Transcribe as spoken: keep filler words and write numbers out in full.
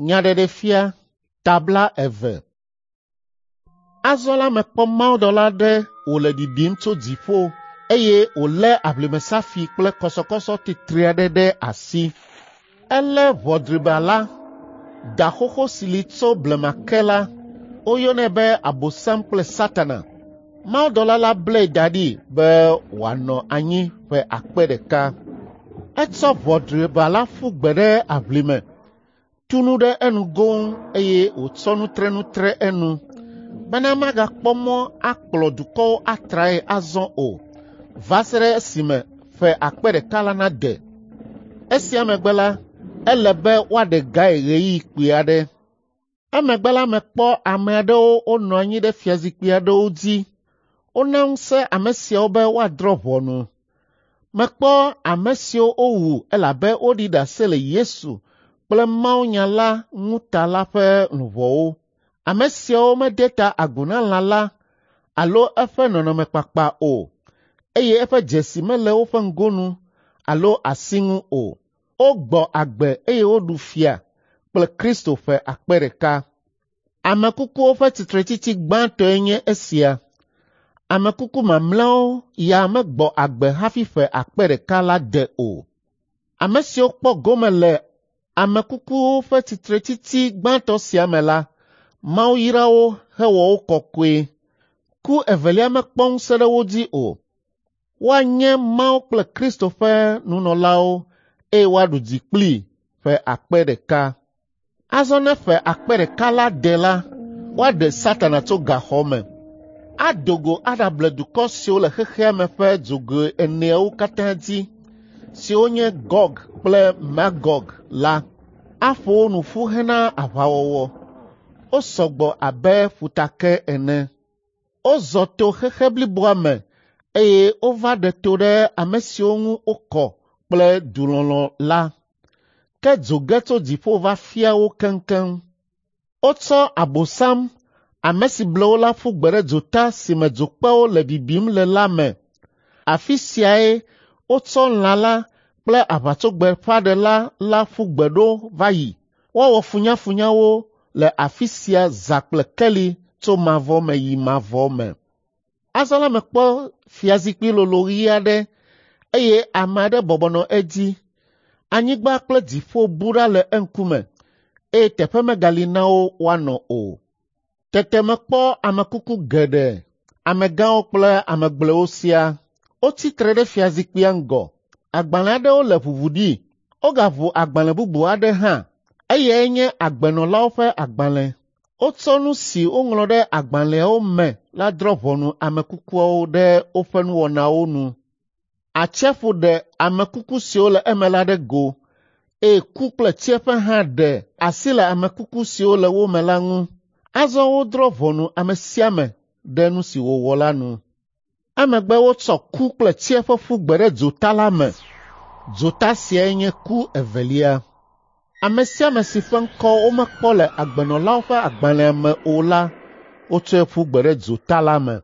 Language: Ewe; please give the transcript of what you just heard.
Nyaɖeɖefia tabla eve. Azɔ la mekpɔ mawudɔla aɖe wòle ɖiɖim tso dziƒo eye wòlé aʋlimesafi kple kɔsɔkɔsɔ titri aɖe ɖe asi. Elé ʋɔ driba la, da xoxo si li tso blema ke la, woyɔnɛ be Abosam kple Satana. Mawudɔla la blae da ɖi be wòanɔ anyi ƒe akpe ɖeka. Etsɔ ʋɔ driba la ƒu gbe ɖe aʋlime, tu nu ɖe enu goŋ eye wòtsɔ nutrenu tre enu bena magakpɔ mɔ akplɔ dukɔwo atrae azɔ o va se ɖe esime ƒe akpe ɖeka la nade. Esia megbe la, ele be woaɖe gae ɣeyiɣi kpui aɖe. Emegbe la mekpɔ ame aɖewo wonɔ anyi ɖe fiazikpui aɖewo dzi. Wona ŋusẽ ame siawo be woadrɔ̃ ʋɔnu. Mekpɔ ame siwo wowu elabe woɖi ɖase le Yesu kple mawunya la ŋu ta la ƒe luʋɔwo. Ame siawo mede ta agu na lã la alo eƒe nɔnɔmekpakpa o, eye eƒe dzesi mele woƒe ŋgonu alo asi ŋu o. Wogbɔ agbe eye woɖu fia kple Kristo ƒe akpe ɖeka. Ame kukuwo ƒe tsitretsitsi gbãtɔe nye esia. Ame kuku mamlɛawo ya megbɔ agbe hafi ƒe akpe ɖeka la de o. Ame siwo kpɔ gome le ame kukuwo ƒe tsitretsitsi gbãtɔ sia me la, Mawu yra wo hewɔ wo kɔkɔe. Ku evelia mekpɔ ŋusẽ ɖe wo dzi o. Woanye Mawu kple Kristo ƒe nunɔlawo eye woaɖu dzi kplii ƒe akpe ɖeka. Azɔ ne ƒe akpe ɖeka la de la, woaɖe Satana tso gaxɔ me. Ado go aɖable dukɔ siwo le xexea me ƒe dzogoe eneawo katã dzi, siwo nye Gog kple Magog la. Aƒo wo nu ƒu hena aʋawɔwɔ. Wosɔ gbɔ abe ƒutake ene. Wozɔ to xexe bliboa me eye wova ɖe to ɖe ame siwo ŋu wokɔ kple dulɔlɔ̃ la. Ke dzo ge tso dziƒo va fia wo keŋkeŋ. Wotsɔ Abosam, ame si ble wo la ƒu gbe ɖe dzota si me dzokpewo le bibim le la me. Afi siae wotsɔ lã la kple aʋatsogbeƒãɖela la ƒu gbe ɖo va yi. Woawɔ funyafunya wo le afi sia zã kple keli tso mavɔ me yi mavɔ me. Azɔ la mekpɔ fiazikpui lolo ɣi aɖe eye ame aɖe bɔbɔ nɔ edzi. Anyigba kple dziƒo bu ɖa le eŋkume eye teƒe megali na wo woanɔ o. Tete mekpɔ ame kuku geɖe, amegãwo kple ame gblɔewo siaa. Wotsi tre ɖe fiazikpuia ŋgɔ. Agbalẽ aɖewo le ʋuʋu ɖi. Wogaʋu agbalẽ bubu aɖe hã. Eyae nye agbenɔlawo ƒe agbalẽ. Wotsɔ nu si woŋlɔ ɖe agbalẽawo me la drɔ̃ ʋɔnu ame kukuawo ɖe woƒe nuwɔnawo nu. Atsiaƒu ɖe ame kuku siwo le eme la ɖe go eye ku kple tsiẽƒe hã ɖe asi le ame kuku siwo le wo me la ŋu. Azɔ wodrɔ̃ ʋɔnu ame sia ame ɖe nu si wòwɔ la nu. Emegbe wotsɔ ku kple tsiẽƒe ƒu gbe ɖe dzota la me. Dzota siae nye ku evelia. Ame sia ame si ƒe ŋkɔ womekpɔ le agbenɔlawo ƒe agbalẽa me o la, wotsɔe ƒu gbe ɖe dzota la me.